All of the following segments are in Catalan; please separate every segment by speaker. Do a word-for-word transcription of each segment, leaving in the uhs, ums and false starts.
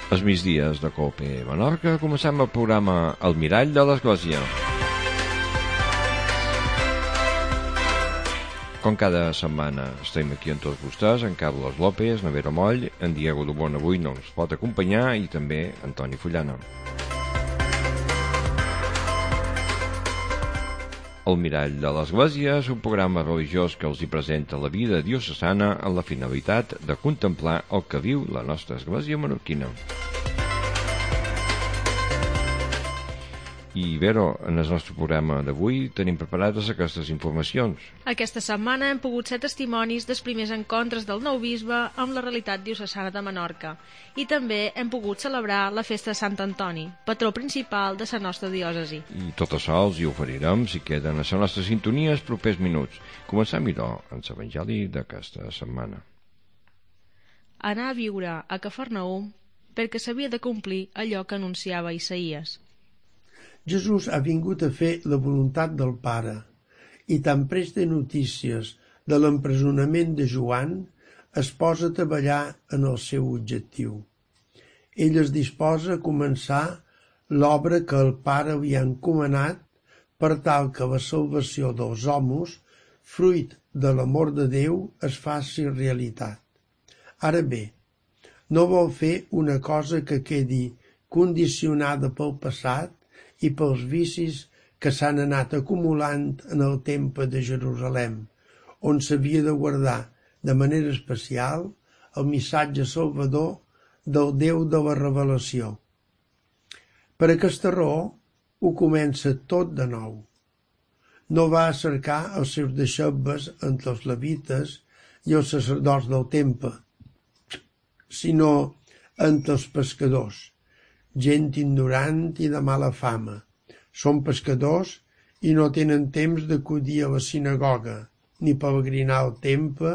Speaker 1: Els migdies de Cope Menorca comencem el programa El Mirall de l'Església. Com cada setmana estem aquí amb tots vostès, en Carlos López, en Vera Moll, en Diego Dubón avui no ens pot acompanyar i també Antoni Fullana. El Mirall de l'Església és un programa religiós que els hi presenta la vida diocesana amb la finalitat de contemplar el que viu la nostra església menorquina. I, Vero, en el nostre programa d'avui tenim preparades aquestes informacions.
Speaker 2: Aquesta setmana hem pogut ser testimonis dels primers encontres del nou bisbe amb la realitat diocesana de Menorca i també hem pogut celebrar la festa de Sant Antoni, patró principal de la nostra diòcesi.
Speaker 1: I tot això els hi oferirem si queden a la nostra sintonia els propers minuts. Comencem, idò, amb l'Evangeli d'aquesta setmana.
Speaker 2: Anar a viure a Cafarnaum perquè s'havia de complir allò que anunciava Isaïes.
Speaker 3: Jesús ha vingut a fer la voluntat del Pare i tan prest de notícies de l'empresonament de Joan es posa a treballar en el seu objectiu. Ell es disposa a començar l'obra que el Pare havia encomanat per tal que la salvació dels homes, fruit de l'amor de Déu, es faci realitat. Ara bé, no vol fer una cosa que quedi condicionada pel passat i pels vicis que s'han anat acumulant en el temple de Jerusalem, on s'havia de guardar de manera especial el missatge salvador del Déu de la revelació. Per aquesta raó ho comença tot de nou. No va a cercar els seus deixebles entre els levites i els sacerdots del temple, sinó entre els pescadors, gent ignorant i de mala fama. Són pescadors i no tenen temps d'acudir a la sinagoga, ni peregrinar al temple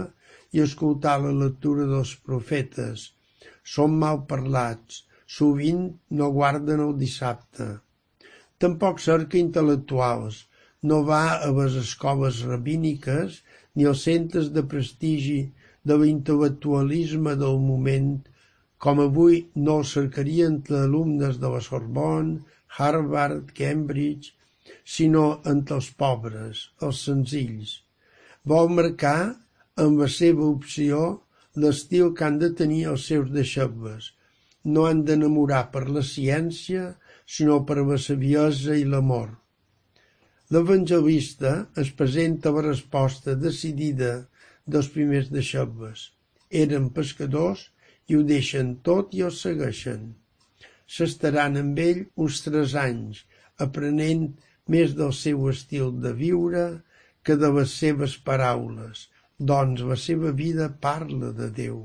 Speaker 3: i escoltar la lectura dels profetes. Són mal parlats, sovint no guarden el dissabte. Tampoc cerca intel·lectuals, no va a les escoles rabíniques ni als centres de prestigi de l'intel·lectualisme del moment, com avui no el cercarien entre alumnes de la Sorbonne, Harvard, Cambridge, sinó entre els pobres, els senzills. Vol marcar amb la seva opció l'estil que han de tenir els seus deixebles. No han d'enamorar per la ciència, sinó per la saviesa i l'amor. L'evangelista es presenta la resposta decidida dels primers deixebles. Eren pescadors i ho deixen tot i el segueixen. S'estaran amb ell uns tres anys, aprenent més del seu estil de viure que de les seves paraules, doncs la seva vida parla de Déu.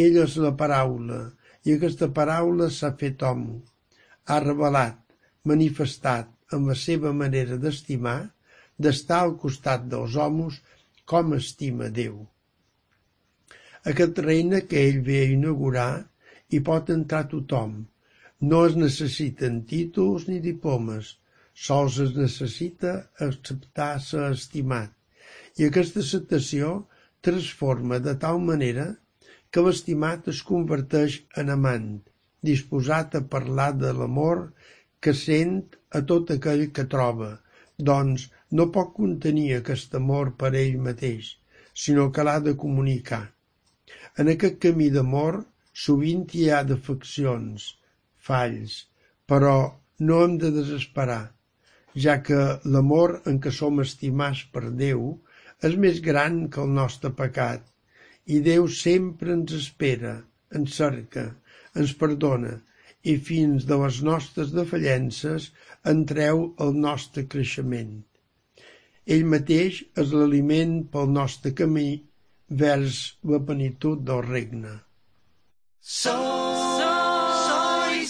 Speaker 3: Ell és la paraula, i aquesta paraula s'ha fet hom. Ha revelat, manifestat amb la seva manera d'estimar, d'estar al costat dels homes com estima Déu. Aquest regne que ell ve a inaugurar hi pot entrar tothom. No es necessiten títols ni diplomes, sols es necessita acceptar ser estimat. I aquesta acceptació transforma de tal manera que l'estimat es converteix en amant, disposat a parlar de l'amor que sent a tot aquell que troba, doncs no pot contenir aquest amor per ell mateix, sinó que l'ha de comunicar. En aquest camí d'amor sovint hi ha defeccions, falls, però no hem de desesperar, ja que l'amor en què som estimats per Déu és més gran que el nostre pecat, i Déu sempre ens espera, ens cerca, ens perdona, i fins de les nostres defallences en treu el nostre creixement. Ell mateix és l'aliment pel nostre camí vers la plenitud del regne.
Speaker 2: Sois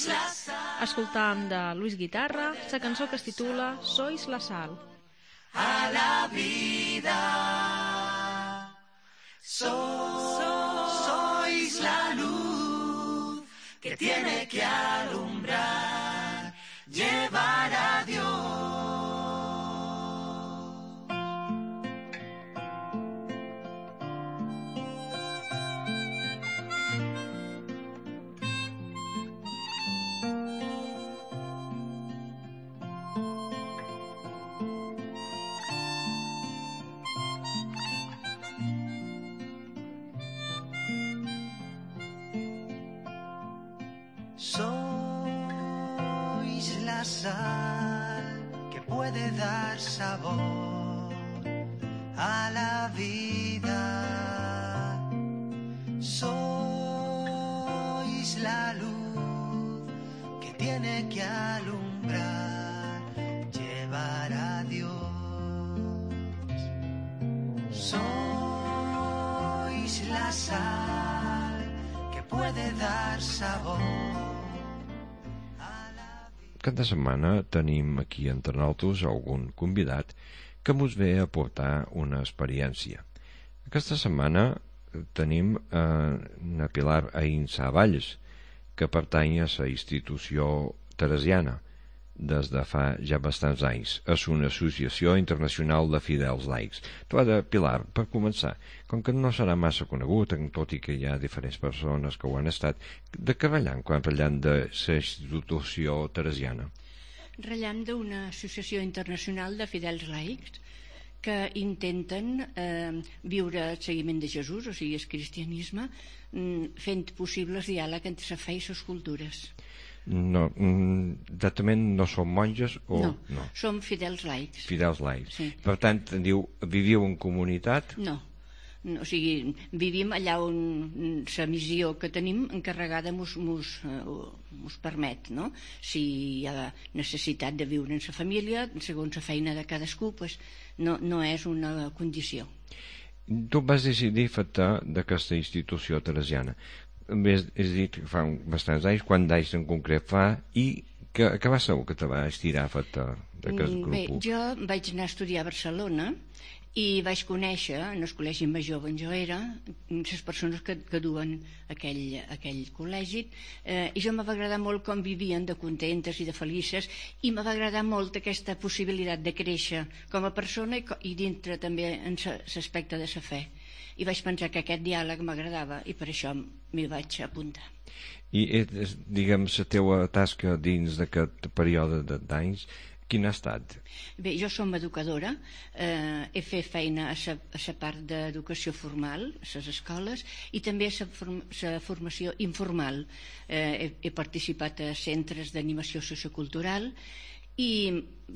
Speaker 2: la sal. Escoltàvem de Luis Guitarra la cançó que es titula Sois la sal.
Speaker 4: A la vida so, sois la luz que tiene que alumbrar, llevar a Dios. la sal que puede dar sabor a la vida. Sois la luz que tiene que alumbrar, llevar a Dios. Sois la sal que puede dar sabor.
Speaker 1: Cada setmana tenim aquí entre nosaltres algun convidat que mos ve a portar una experiència. Aquesta setmana tenim eh, una Pilar Aïnsa Valls, que pertany a la institució teresiana des de fa ja bastants anys. És una associació internacional de fidels laics. Tu, ara, Pilar, per començar, com que no serà massa conegut, tot i que hi ha diferents persones que ho han estat, de què ratllant quan ratllant de la institució teresiana?
Speaker 5: Ratllant d'una associació internacional de fidels laics que intenten eh, viure el seguiment de Jesús, o sigui, el cristianisme, fent possible el diàleg entre la fe i les cultures.
Speaker 1: No, exactament no som monges o...
Speaker 5: No,
Speaker 1: no.
Speaker 5: som fidels laics.
Speaker 1: Fidels laics.
Speaker 5: Sí.
Speaker 1: Per tant, diu, viviu en comunitat?
Speaker 5: No. no, o sigui, vivim allà on la missió que tenim encarregada mos, mos, uh, mos permet, no? Si hi ha necessitat de viure en la família, segons la feina de cadascú, pues, no, no és una condició.
Speaker 1: Tu vas decidir fer-te d'aquesta institució teresiana. Has dit que fa bastants anys, quant d'anys en concret fa, i que, que va ser el que te va estirar a fer-te d'aquest grup?
Speaker 5: Bé, jo vaig anar a estudiar a Barcelona i vaig conèixer en el col·legi major on jo era les persones que, que duen aquell, aquell col·legi, eh, i jo me va agradar molt com vivien de contentes i de felices, i me va agradar molt aquesta possibilitat de créixer com a persona i, i dintre també en l'aspecte de la fe, i vaig pensar que aquest diàleg m'agradava i per això m'hi vaig apuntar.
Speaker 1: I, diguem, la teua tasca dins d'aquest període d'anys, quina ha estat?
Speaker 5: Bé, jo som educadora, eh, he fet feina a la part d'educació formal, a les escoles, i també a la form formació informal. Eh, he, he participat a centres d'animació sociocultural i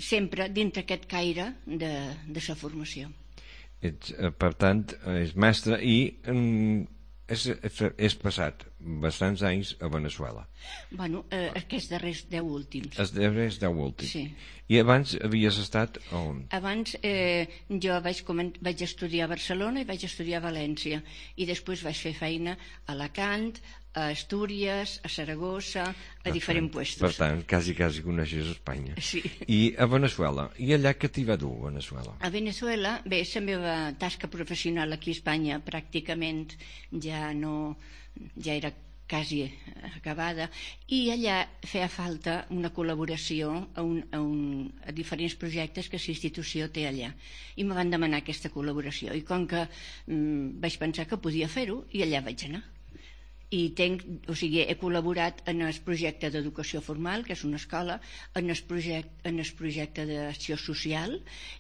Speaker 5: sempre dintre aquest caire de, de la formació.
Speaker 1: Ets, per tant, és mestre i mm, és, és passat bastants anys a Veneçuela.
Speaker 5: Bueno, eh, aquests darrers deu últims.
Speaker 1: Els darrers deu últims.
Speaker 5: Sí.
Speaker 1: I abans havies estat on?
Speaker 5: Abans eh, jo vaig, vaig estudiar a Barcelona i vaig estudiar a València, i després vaig fer feina a Alacant, a Astúries, a Saragossa, a per diferents
Speaker 1: tant,
Speaker 5: puestos.
Speaker 1: Per tant, quasi, quasi coneixes Espanya.
Speaker 5: Sí.
Speaker 1: I a Veneçuela? I allà què t'hi va dur, a Veneçuela?
Speaker 5: A Veneçuela, bé, la meva tasca professional aquí a Espanya pràcticament ja no... ja era quasi acabada, i allà feia falta una col·laboració a, un, a, un, a diferents projectes que la institució té allà, i me van demanar aquesta col·laboració, i com que mm, vaig pensar que podia fer-ho, i allà vaig anar. I tenc, o sigui, he col·laborat en el projecte d'educació formal, que és una escola, en el projecte, en el projecte d'acció social,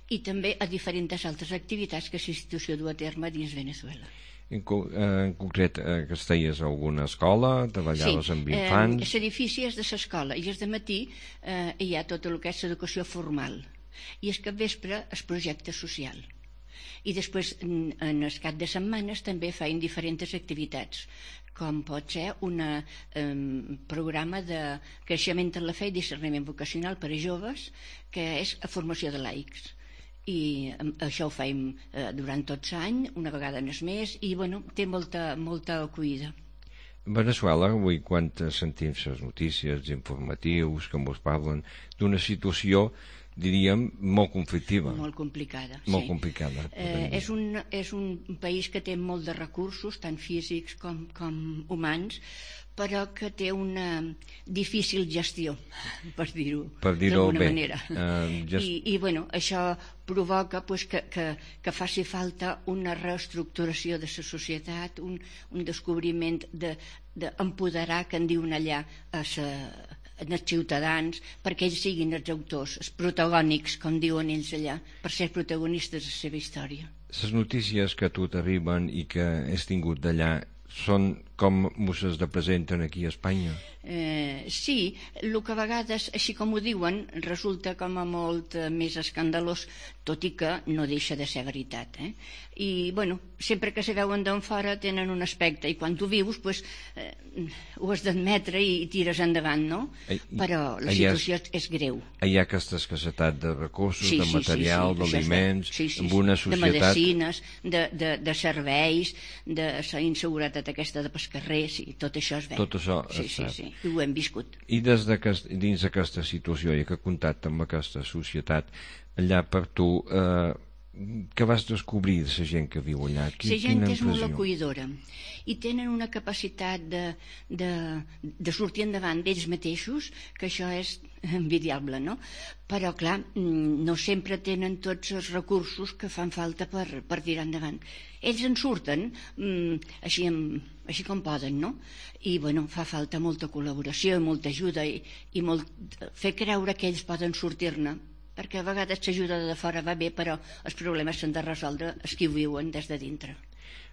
Speaker 5: i també a diferents altres activitats que la institució du a terme dins Veneçuela.
Speaker 1: En, en concret, eh, que esteies a alguna escola, treballaves
Speaker 5: sí,
Speaker 1: amb infants...
Speaker 5: Sí, eh, l'edifici és de l'escola, i és de matí eh, hi ha tot el que és l'educació formal, i és capvespre el projecte social. I després, en el cap de setmanes, també feien diferents activitats, com pot ser un eh, programa de creixement en la fe i discerniment vocacional per a joves, que és a formació de laics. I això ho fèiem eh, durant tot l'any, una vegada en el mes, i bueno, té molta, molta acollida.
Speaker 1: Veneçuela, avui quan sentim les notícies informatius que ens parlen d'una situació, diríem, molt conflictiva.
Speaker 5: Molt complicada,
Speaker 1: molt
Speaker 5: sí.
Speaker 1: complicada.
Speaker 5: Eh, és, un, és un país que té molt de recursos, tant físics com, com humans, però que té una difícil gestió, per dir-ho
Speaker 1: per dir-ho
Speaker 5: d'alguna
Speaker 1: bé.
Speaker 5: manera.
Speaker 1: Uh, just...
Speaker 5: I, I bueno, això provoca pues, que, que, que faci falta una reestructuració de la societat, un, un descobriment d'empoderar, de, que en diuen allà, a sa, els ciutadans, perquè ells siguin els autors, els protagònics, com diuen ells allà, per ser protagonistes de la seva història.
Speaker 1: Les notícies que a tu t'arriben i que has tingut d'allà són com us es representen aquí a Espanya?
Speaker 5: Eh, sí, el que a vegades, així com ho diuen, resulta com a molt eh, més escandalós, tot i que no deixa de ser veritat. Eh? I, bueno, sempre que se veuen d'on fora tenen un aspecte, i quan tu vius, pues, eh, ho has d'admetre i, i tires endavant, no?
Speaker 1: I,
Speaker 5: Però la
Speaker 1: hi ha,
Speaker 5: situació és, és greu.
Speaker 1: Hi ha aquesta escassetat de recursos,
Speaker 5: Sí,
Speaker 1: de
Speaker 5: sí,
Speaker 1: material,
Speaker 5: sí, sí,
Speaker 1: d'aliments,
Speaker 5: sí, sí,
Speaker 1: amb una
Speaker 5: de
Speaker 1: societat...
Speaker 5: medicines, de, de, de serveis, de la inseguretat aquesta de pescarrer, sí, tot això es veu.
Speaker 1: Tot això
Speaker 5: sí,
Speaker 1: es
Speaker 5: sí,
Speaker 1: sap.
Speaker 5: sí, i ho hem viscut.
Speaker 1: I des de que, dins d'aquesta situació i que contacte amb aquesta societat, allà per tu, eh, què vas descobrir de la gent que viu allà?
Speaker 5: La gent és molt acollidora i tenen una capacitat de, de, de sortir endavant d'ells mateixos, que això és envidiable, no? Però, clar, no sempre tenen tots els recursos que fan falta per, per tirar endavant. Ells en surten mm, així, així com poden, no? I, bueno, fa falta molta col·laboració i molta ajuda i, i molt, fer creure que ells poden sortir-ne, perquè a vegades l'ajuda de fora va bé, però els problemes s'han de resoldre els que ho viuen des de dintre.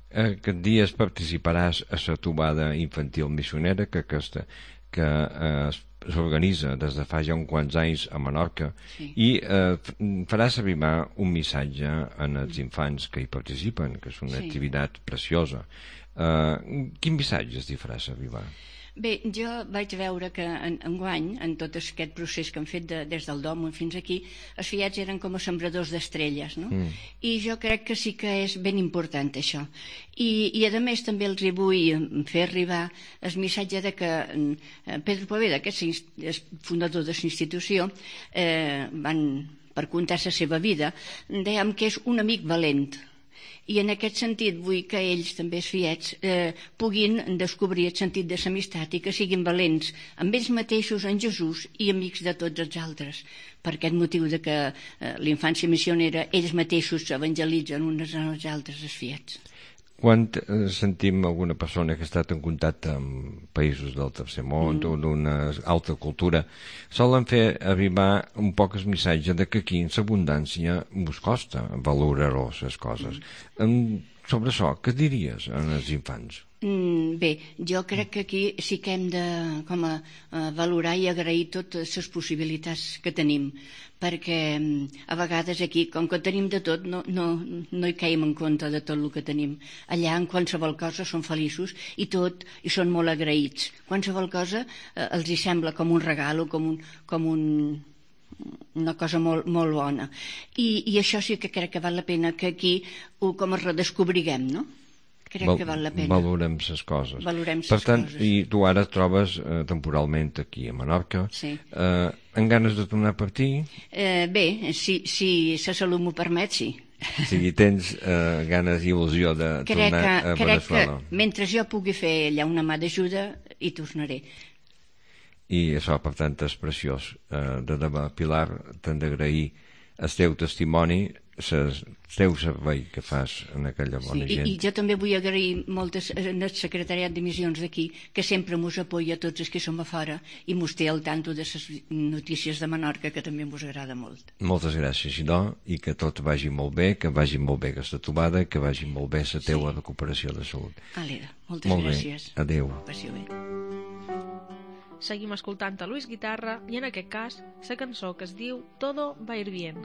Speaker 1: Aquest dia participaràs a la trobada infantil missionera que, aquesta, que eh, s'organitza des de fa ja uns quants anys a Menorca, sí. I eh, faràs arribar un missatge als infants que hi participen, que és una sí. activitat preciosa. Eh, quin missatge es faràs arribar?
Speaker 5: Bé, jo vaig veure que en, enguany, en tot aquest procés que han fet de, des del Dom fins aquí, els fiats eren com a sembradors d'estrelles, no? Mm. I jo crec que sí que és ben important això. I, i a més també els hi vull fer arribar el missatge de que Pedro Poveda, que és fundador de l'institució, eh, van, per contar la seva vida, dèiem que és un amic valent. I en aquest sentit vull que ells, també els fiets, eh, puguin descobrir el sentit de l'amistat i que siguin valents amb ells mateixos, en Jesús, i amics de tots els altres. Per aquest motiu de que eh, l'infància missionera, ells mateixos s'evangelitzen uns als altres, els fiets.
Speaker 1: Quan sentim alguna persona que ha estat en contacte amb països del tercer món mm. o d'una altra cultura, solen fer arribar un poc el missatge de que aquí en l'abundància us costa valorar-ho les coses. Mm. Sobre això, què diries als infants?
Speaker 5: Mm, bé, jo crec que aquí sí que hem de com a, a valorar i agrair totes les possibilitats que tenim, perquè a vegades aquí, com que tenim de tot, no, no, no hi caiem en compte de tot el que tenim. Allà, en qualsevol cosa, són feliços i tot, i són molt agraïts. Qualsevol cosa eh, els hi sembla com un regal o com un... Com un una cosa molt, molt bona. I, I això sí que crec que val la pena que aquí ho com es redescobriguem, no? Crec Val, que val la pena.
Speaker 1: Valorem les coses.
Speaker 5: Valorem
Speaker 1: per tant,
Speaker 5: coses.
Speaker 1: I tu ara et trobes eh, temporalment aquí a Menorca.
Speaker 5: Sí.
Speaker 1: Eh, amb ganes de tornar a partir?
Speaker 5: Eh, bé, si, si la salut m'ho permet, sí.
Speaker 1: O sigui, tens eh, ganes i il·lusió de
Speaker 5: crec
Speaker 1: tornar
Speaker 5: que,
Speaker 1: a Veneçuela.
Speaker 5: Crec que mentre jo pugui fer allà una mà d'ajuda, hi tornaré.
Speaker 1: I això, per tant, és preciós. Eh, de debò, Pilar, t'hem d'agrair el teu testimoni, el teu servei que fas en aquella bona
Speaker 5: sí,
Speaker 1: gent.
Speaker 5: I, I jo també vull agrair moltes al secretariat de missions d'aquí, que sempre mos apoya a tots els que som a fora i mos té al tanto de les notícies de Menorca, que també mos agrada molt.
Speaker 1: Moltes gràcies, Xidó, i que tot vagi molt bé, que vagi molt bé aquesta trobada, que vagi molt bé la teua sí. recuperació de salut.
Speaker 5: Aleda, moltes
Speaker 1: molt
Speaker 5: gràcies.
Speaker 1: Bé. Adéu.
Speaker 5: Passió bé.
Speaker 2: Seguim escoltant a Luis Guitarra i en aquest cas la cançó que es diu Todo va ir bien.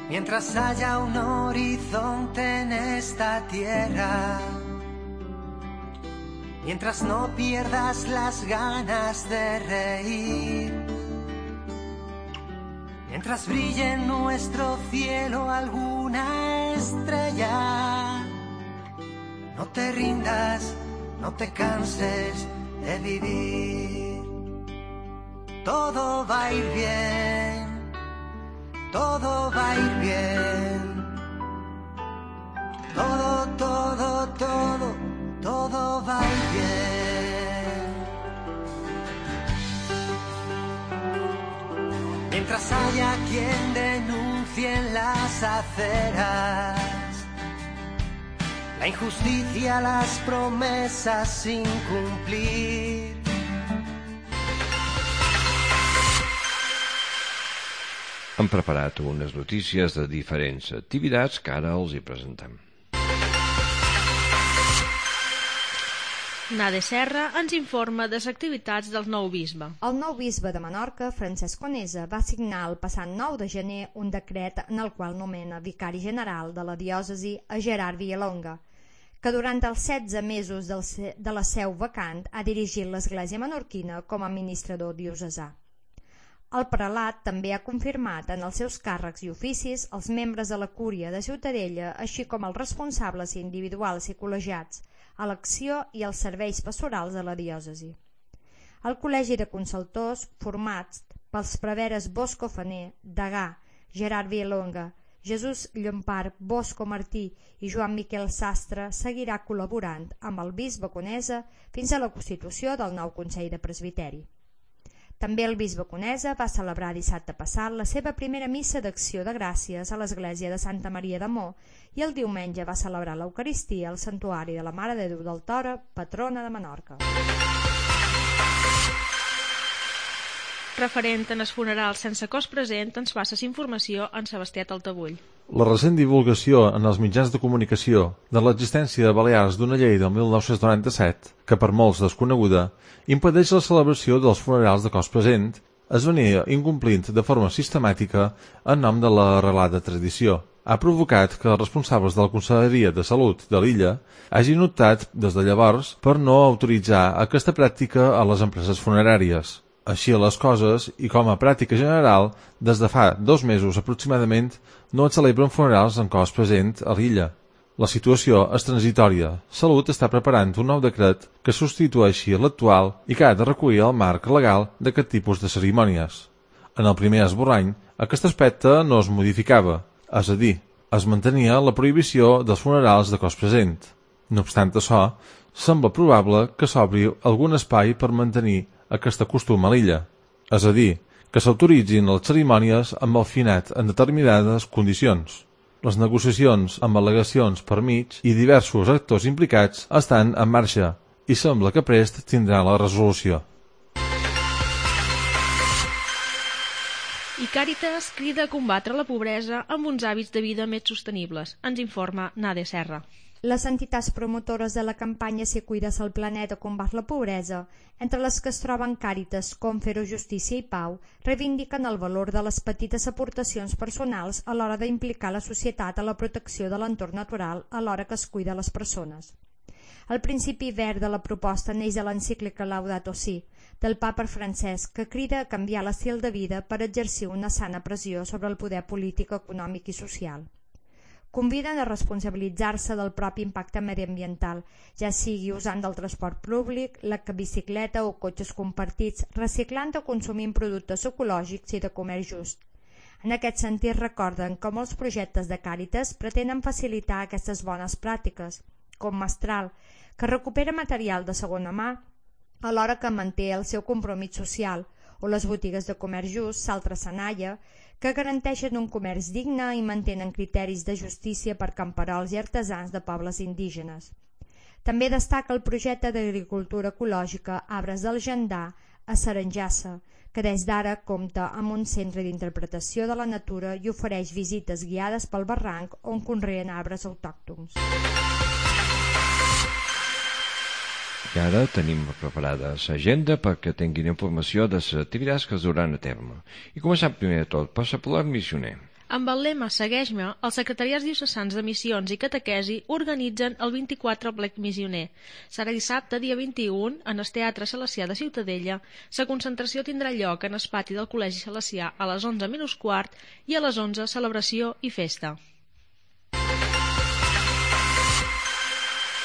Speaker 4: Mientras haya un horizonte en esta tierra, mientras no pierdas las ganas de reír, mientras brille en nuestro cielo alguna estrella, no te rindas, no te canses de vivir. Todo va a ir bien, todo va a ir bien. Todo, todo, todo, todo va a ir bien. Mientras haya quien denuncie en las aceras la injusticia, las promesas sin cumplir,
Speaker 1: hem preparat unes notícies de diferents activitats que ara els hi presentem.
Speaker 2: Nade Serra ens informa de les activitats del nou bisbe.
Speaker 6: El nou bisbe de Menorca, Francesc Conesa, va signar el passat nou de gener un decret en el qual nomena vicari general de la diòcesi a Gerard Villalonga, que durant els setze mesos del se- de la seu vacant ha dirigit l'Església menorquina com a administrador diocesà. El prelat també ha confirmat en els seus càrrecs i oficis els membres de la Cúria de Ciutadella, així com els responsables individuals i col·legiats a l'acció i als serveis pastorals de la diòcesi. El Col·legi de Consultors, formats pels preveres Bosco Faner, Degà, Gerard Villalonga, Jesús Llompart, Bosco Martí i Joan Miquel Sastre, seguirà col·laborant amb el bisbe Conesa fins a la constitució del nou Consell de Presbiteri. També el bisbe Conesa va celebrar dissabte passat la seva primera missa d'acció de gràcies a l'església de Santa Maria de Mó i el diumenge va celebrar l'Eucaristia al Santuari de la Mare de Déu del Toro, patrona de Menorca.
Speaker 2: Referent en els funerals sense cost present, ens passa informació en Sebastià Taltabull.
Speaker 7: La recent divulgació en els mitjans de comunicació de l'existència a Balears d'una llei del mil nou-cents noranta-set, que per molts desconeguda, impedeix la celebració dels funerals de cost present, es venia incomplint de forma sistemàtica en nom de la arrelada tradició. Ha provocat que els responsables de la Conselleria de Salut de l'illa hagin optat des de llavors per no autoritzar aquesta pràctica a les empreses funeràries. Així les coses, i com a pràctica general, des de fa dos mesos aproximadament no es celebren funerals en cost present a l'illa. La situació és transitòria. Salut està preparant un nou decret que substitueixi l'actual i que ha de recollir el marc legal d'aquest tipus de cerimònies. En el primer esborrany, aquest aspecte no es modificava, és a dir, es mantenia la prohibició dels funerals de cost present. No obstant això, sembla probable que s'obri algun espai per mantenir aquest costum a l'illa, és a dir, que s'autoritzin les cerimònies amb el finet en determinades condicions. Les negociacions amb al·legacions per mig i diversos actors implicats estan en marxa i sembla que prest tindrà la resolució.
Speaker 2: I Càritas crida a combatre la pobresa amb uns hàbits de vida més sostenibles. Ens informa Nade Serra.
Speaker 6: Les entitats promotores de la campanya Si cuides el planeta combat la pobresa, entre les que es troben Càritas, Confero, Justícia i Pau, reivindiquen el valor de les petites aportacions personals a l'hora d'implicar la societat a la protecció de l'entorn natural alhora que es cuida les persones. El principi verd de la proposta neix de l'encíclica Laudato Si, del papa Francesc, que crida a canviar l'estil de vida per exercir una sana pressió sobre el poder polític, econòmic i social. Conviden a responsabilitzar-se del propi impacte mediambiental, ja sigui usant del transport públic, la bicicleta o cotxes compartits, reciclant o consumint productes ecològics i de comerç just. En aquest sentit recorden com els projectes de Càritas pretenen facilitar aquestes bones pràctiques, com Mestral, que recupera material de segona mà alhora que manté el seu compromís social, o les botigues de comerç just Saltre Sanaia, que garanteixen un comerç digne i mantenen criteris de justícia per camperols i artesans de pobles indígenes. També destaca el projecte d'agricultura ecològica Arbres del Jandà a Saranjassa, que des d'ara compta amb un centre d'interpretació de la natura i ofereix visites guiades pel barranc on conreen arbres autòctons.
Speaker 1: I ara tenim preparada l'agenda perquè tinguin informació de les activitats que es duran a terme. I començant primer de tot per l'apel·lat missioner.
Speaker 2: Amb el lema Segueix-me, els secretariats diocesans de missions i catequesi organitzen el vint-i-quatre Aplec Missioner. Serà dissabte, dia vint-i-u, en el Teatre Salesià de Ciutadella. La concentració tindrà lloc en el pati del Col·legi Salesià a les onze menys quart i a les onze celebració i festa.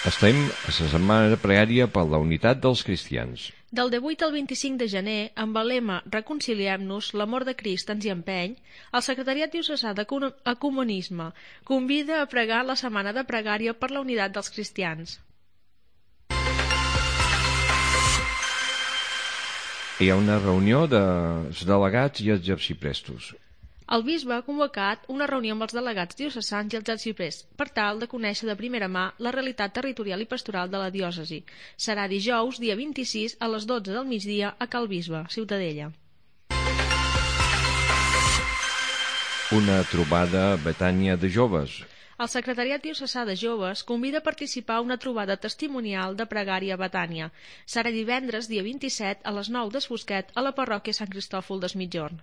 Speaker 1: Estem a la setmana de pregària per la unitat dels cristians.
Speaker 2: Del divuit al vint-i-cinc de gener, amb el lema Reconciliem-nos, l'amor de Crist ens hi empeny, el Secretariat Diocesà d'Ecumenisme convida a pregar la setmana de pregària per la unitat dels cristians.
Speaker 1: Hi ha una reunió dels delegats i els arxiprestos.
Speaker 2: El bisbe ha convocat una reunió amb els delegats diocesans i els arxiprestos per tal de conèixer de primera mà la realitat territorial i pastoral de la diòcesi. Serà dijous, dia vint-i-sis, a les dotze del migdia a Cal Bisbe, Ciutadella.
Speaker 1: Una trobada a Betània de joves.
Speaker 2: El Secretariat Diocesà de Joves convida a participar a una trobada testimonial de pregària a Betània. Serà divendres, dia vint-i-set, a les nou des Fosquet, a la parròquia Sant Cristòfol des Migjorn.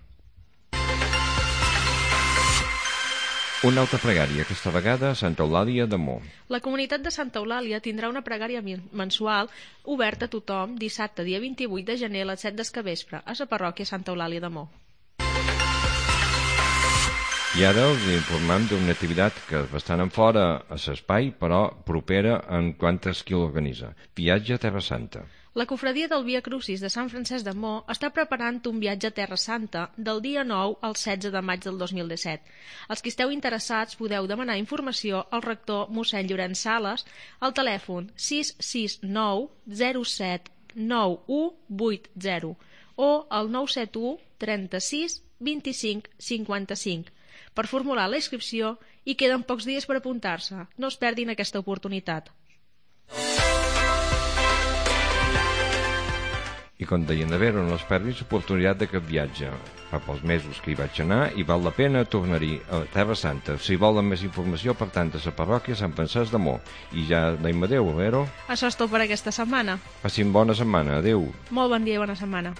Speaker 1: Una altra pregària, aquesta vegada a Santa Eulàlia de Mo.
Speaker 2: La comunitat de Santa Eulàlia tindrà una pregària mensual oberta a tothom dissabte, dia vint-i-vuit de gener, a les set del capvespre, a la parròquia Santa Eulàlia de Mo.
Speaker 1: I ara us informem d'una activitat que és bastant en fora a l'espai, però propera en quantes qui l'organitza. Viatge a Terra Santa.
Speaker 2: La cofradia del Via Crucis de Sant Francesc de Mo està preparant un viatge a Terra Santa del dia nou al setze de maig del dos mil disset. Els que esteu interessats podeu demanar informació al rector mossèn Llorenç Sales al telèfon sis sis nou zero set nou u vuit zero o al nou set u trenta-sis vint-i-cinc cinquanta-cinc. Per formular la inscripció i queden pocs dies per apuntar-se. No es perdin aquesta oportunitat.
Speaker 1: I com deien de veure, no es perdin l'oportunitat d'aquest viatge. Fa pocs mesos que hi vaig anar i val la pena tornar-hi a Terra Santa. Si volen més informació, per tant, a la parròquia Sant Francesc de Mo. I ja deim adeu, a veure?
Speaker 2: Això és tot per aquesta setmana.
Speaker 1: Passin bona setmana, adeu.
Speaker 2: Molt bon dia i bona setmana.